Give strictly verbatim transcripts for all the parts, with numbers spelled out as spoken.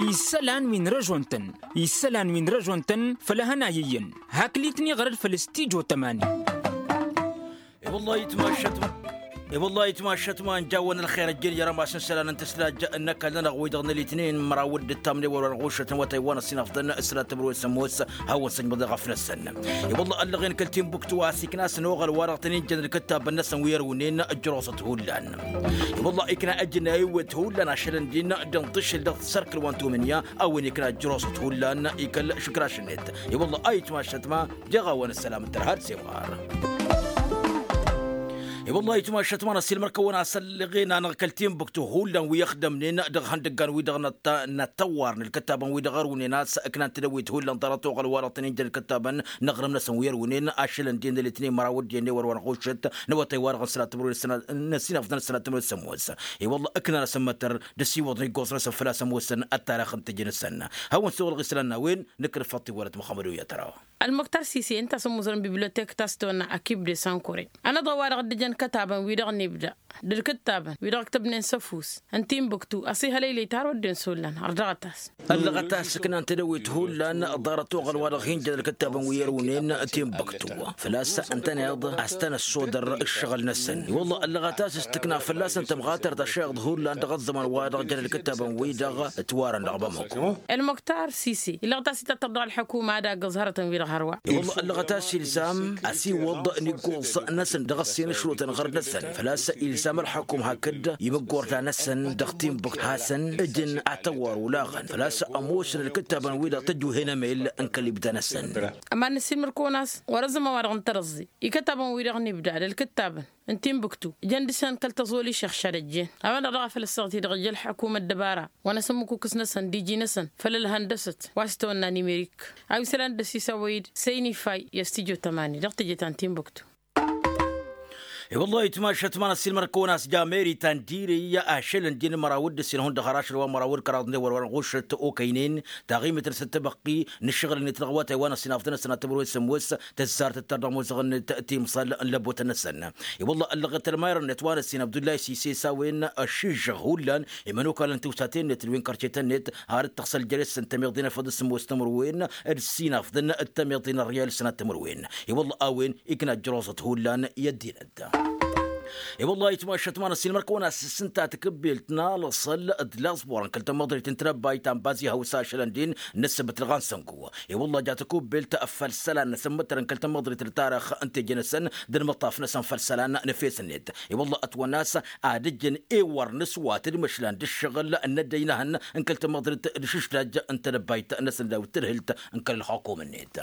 Isălan wi n-răžon-tăn isălan wi n-răžon-tăn făll-ehăn a iyyăn. Hakli-tăn iɣrăd făll-stijo tămani. I-wălla itmašăt ma n-jawăn ălxer ăjjeen i-rămas n-isălan n-tǝslaj n-ăkall-nănăɣ wi-dăɣ n-alitnen măraw d-ǝttam n-ewăr wa n-ɣušăt n-awătay wa n-ăssinafḍăn s-ăla tǝmrǝwen s-ămoos. Hawăn-săjmăḍ i-ɣăf-năsăn i-wălla ăllăɣen kăl-tinbuktu a-s ikna a-s n-oɣăl wa dăɣ-tăn-in-jăn ǝlkǝttabăn-năsăn wi ărwǝnen. Ǝjrosăt hullan i-wălla ikna ăjnay wet hullan ašălăn din dăɣ-tǝšǝl dăɣ-tisărkǝl wa n-tumǝnya a-wen ikna ǝjrosăt hullan. I-kăl-išǝkraš-net i-wălla a itmašăt ma jeɣ-awăn ăssălam d-tărha d-semɣar. I-wălla a itmašăt ma n-ăssiilmăr-kăwăn a-s ălleɣen-anăɣ kăl-tinbuktu hullan wi ăxdămnen dăɣ-ihăndăggan-wi-dăɣ n-ăttawar n-ǝlkǝttabăn-wi-dăɣ ărwǝnen a-s ǝknan tedăwwit hullan ḍarăt oɣăl-wa-dăɣ tăn-in-jăn ǝlkǝttabăn n-aɣrǝm-năsăn wi ărwǝnen ašălăn din ălitnen măraw d-iyyăn ewăr wa n-ɣušăt n-awătay-wa-dăɣ n-sănat timǝrwen s-ănăsinăfḍăn s-sănat timǝrwen s-ămoos. I-wălla ǝknan asǝmmătăr d-ăsiwăḍ n-iggoẓ-năsăn făl-a-s ămoosăn ăttarăx n-teje-năsăn. Hawăn-suɣǝlăɣ isălan n-a-wen nǝkrǝfăḍ tiwărăt muxămmăd u-i ad-tărawăn. Ălmuktar sise ǝnta a-s ămmuẓrăn bibliotek ta s-tăwănna akib de sankore. Anăḍ ăwadăɣ dd-ǝjăn kătabăn wi-dăɣ n-ibda d-ǝlkǝttabăn wi-dăɣ ǝktăbnen s-ăfuss n-tinbuktu ăsihălăylăy tarwădden s-ollan ărdăɣăt-as. Ăllăɣăt a-s ǝknan tedăwit hullan ḍarăt oɣăl wa dăɣ-hin-jăn ǝlkǝttabăn wi ărwǝnen tinbuktu făl-a-s ǝntăneḍ a-s tăn-ăssodăr ǝššăɣǝl-năsăn. I-wălla ăllăɣăt a-s s-tǝkna fălla-săn tămɣatărt ăššăɣăḍ hullan dăɣ-ăẓẓăman wa dăɣ-jăn ǝlkǝttabăn-wi-dăɣ ǝtwarăn dăɣ-bamăko. Ălmuktar sise illăɣ-t a-s itattăr dăɣ-ălḥukuma ad-agǝẓ hărătăn-wi-dăɣ hărwa. I-wălla ăllăɣăt a-s ilzam ăsiwăḍ n-iggoẓ-năsăn dăɣ-ăssin ăšrutăn ɣărăt-năsăn făl-a-s ilzam ălḥukum hakd imǝggorta-năsăn dăɣ-tinbuktu hasăn-ǝjǝn atăwwar olaɣăn făl-a-s ămoosăn ǝlkǝttabăn-wi-dăɣ tăjwǝhen emel n-kăl-ibda-năsăn. Ămann-ăssiilmăr kăwăn-as wăr-ăzzăman wa dăɣ-n tărǝẓẓe ikăttabăn-wi-dăɣ n-ibda d-ǝlkǝttabăn n-tinbuktu ǝjăn dăɣ-săn kăl-tăẓoli šăɣšad ăjjeen. A-wen-dăɣ daɣ a făl ăssaɣăt-i-dăɣ ija ălḥukum ăddăbara wa n-asǝmmǝkukǝs n-asăn d-iji n-asăn făll-ălhăndăsăt wa s-tăwănna nimerik. A wi s-ălan dd-ăsisăwăy-dd săynifay i-ăstijjo tămani dăɣ-teje ta n-tinbuktu. I-wăllah itmašăt ma n-ăssiilmăr-kăwăn a-s jameri ta n-direy ašăl ǝndin măraw d-ǝssin hundăɣ har ašăl wa măraw d-kăraḍ n-ewăr wa n-ɣušăt okăynen taɣimit n-săt tăbăqqi n-ǝššăɣǝl-net dăɣ-awătay wa n-ăssinafḍăn-năsăn ad-tămrăwen s-ămoos tăzzar tǝttăr dăɣ-imuzăɣăn-net timẓal n-lăbotăn-năsăn. I-wălla ăllăɣăt ălmayăr-net wa n-ăssin abdullay sise s-a-wen ăššižžăɣ hullan imănokal n-tiwsaten-net d-wi n-kărcetăn-net har d-tăɣsăl jer-s n-tămiḍe n-efăḍ s-ămoos tămrăwen d-ăssinafḍăn d-tămiḍe n-ărriyal s-sănat tămrăwen. I-wălla a-wen ikna ăjroẓăt hullan i-ăddinăt. I-wălla itmašăt ma n-ăssiilmăr-kăwăn a-s s-ǝnta takǝbbelt n-alăṣăl d-laẓbur n-kăl-tamăḍrit n-tinăbbayt ta n-bazi hawsa ašălăn din n-ǝssǝbǝt dăɣ-anzăngu. I-wălla ja takǝbbelt făll-isălan n-asǝmmǝtăr n-kăl-tamăḍrit d-tarăx n-teje-năsăn d-ălmăṭṭaf-năsăn făll-isălan n-efes-net. I-wălla ătwănna a-s ad-ǝjǝn ewăr n-aswat d-imăšlan d-ǝššăɣǝl n-ăddăy n-ehăn n-kăl-tamăḍrit d-išǝšdaj n-tinăbbayt-năsăn daw-tǝdhǝlt n-kăl-ălxukum-net.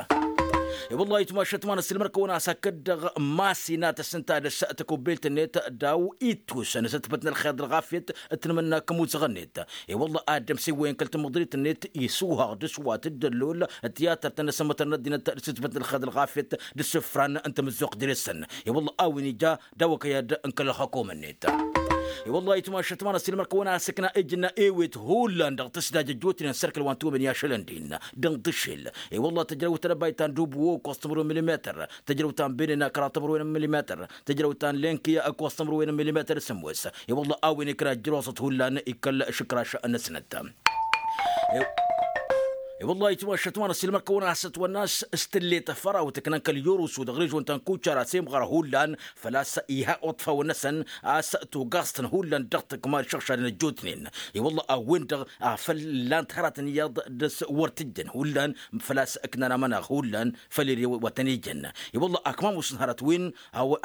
I-wălla itmašăt ma n-ăssiilmăr-kăwăn a-s hakd-dăɣ masinat s-ǝnta dăr-s takubbelt-net daw ittus n-asǝtbăt n-ălxer d-ălɣafyăt d-tinmǝnnak imuzăɣăn-net. I-wălla ad-dd-ămsewăyăn kăl-tamăḍrit-net isuhaɣ d-aswat d-ăllol d-tiyatărt n-asǝmmătăr n-ăddinăt d-asǝtbăt n-ălxer d-ălɣafyăt d-asǝfran n-tamǝzzuɣt dăr-săn. I-wălla a-wen ija daw-ăkăyad n-kăl-ălxukum-net. I-wălla itmašăt ma n-ăssiilmăr-kăwăn a-s ǝkna ǝjna ewet hullan dăɣ-tǝsdaj ăjjootnen s-erk ălwan tumǝnǝya ašălăn din dăɣ-n tǝššel. I-wălla tǝjrăw tălăbayt ta n-dubu ǝkkoẓ timǝrwen milimetăr, tǝjrăw ta n-benena kăraḍ timǝrwen n-milimetăr, tǝjrăw ta n-lenkiya ǝkkoẓ timǝrwen n-milimetăr s-ămoos. I-wălla a-wen ikna ǝjrosăt hullan i-kăl-išǝkraš-năsnăt. I-wălla itmašăt ma n-ăssiilmăr-kăwăn a-s ătwănna a-s s-tǝlle tafărawt ǝknan kăl-irusu dăɣ-režon ta n-kucar a-s imɣăr hullan făl-a-s iha uṭfawăn-năsăn a-s tugaẓ-tăn hullan dăɣ-tǝkma d-išăɣšadăn ăjjootnen. I-wălla a-wen-dăɣ afăl ǝllant hărătăn iyyăḍ dăr-s wăr t-ǝjjăn hullan făl-a-s ǝknan amănaɣ hullan făll-ere wa tăn-ijăn. I-wălla akmam usǝn hărăt-win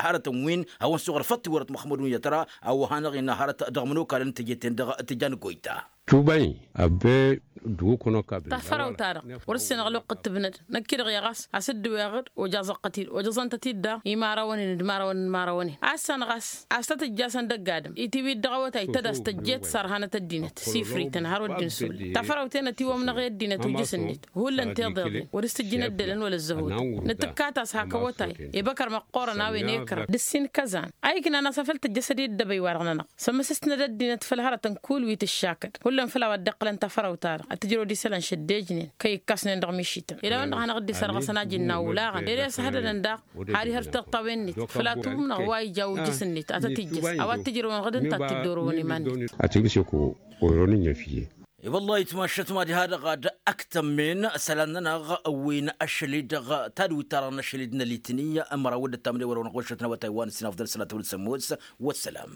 hărătăn-win hawăn-suɣăr făll-tiwărăt măxmud n-yătra a-wa hanăɣ-innă hărăt dăɣ-imănokalăn n-teje-ten-dăɣ tǝjan goyta. Tubay abbe duwǝkănăk abbe. Tafărawt-ta-dăɣ wăr-ǝssin ăɣloqqǝt tǝbnăd năkk-i-dăɣ i-ɣas a-s dd-ǝweɣ-dd ojăẓăɣ-t-dd-ojăẓăn-tăt-dd daɣ imărawăn-in d-imărawăn n-imărawăn-in a ǝssanăɣ a-s a-s tăt-ǝjjasăn d-ăgg-adǝm itiwit dăɣ-awătay tăd-as tăjjet s-arhanăt ăddinăt sifriten har wăr dd-insulăy tafărawt-en ătiwămnăɣ i-ăddinăt ujǝs-net hullan tiḍeḍen wăr-s tǝjjǝn ăddălăn wăla ăzzăhutăn nǝtǝkkat a-s hak awătay ibăkăr măqqoorăn a-wen ekra d-ǝssin kăzan a iknan a-s afăl tăjjăs ad-dd-ăbăy-wa-dăɣ-nănăɣ sămmăsăsnăd ăddinăt făll-hărătăn kull wi tǝššakăd hullan făll-a-wa dd-iqqǝlăn tafărawt-ta-dăɣ ad-t-ǝjrăwăd isălan šăddejnen kăy-ǝkkasnen dăɣ-mišităn ila a-wen-dăɣ a hanăɣ-dd-isărɣăsăn ajǝnnaw ulaɣăn ere a-s ăhădădăn daɣ har ihăr tiṭṭawen-net făll-a tumnăɣ wa ija ujǝs-net ad-tăt-ijjăs a-wa t-ǝjrăwăn ɣǝd ǝnta ad-t-dd-orăwăn iman-net. Ad-tǝmsǝk oronǝn i-năfye. I-wăllah itmašăt ma diha-dăɣ ad-ăktămmen isălan-nănăɣ wi n-ašăl-i-dăɣ tadwit-ta-dăɣ n-ašăl-i-dăɣ n-ălitǝni. Ămăraw d-ăttamăn i-wăr-wăr n-ɣušăt n-awătay wa n-ǝssin afḍăl sălatăwăl sămmos. Wăssălam.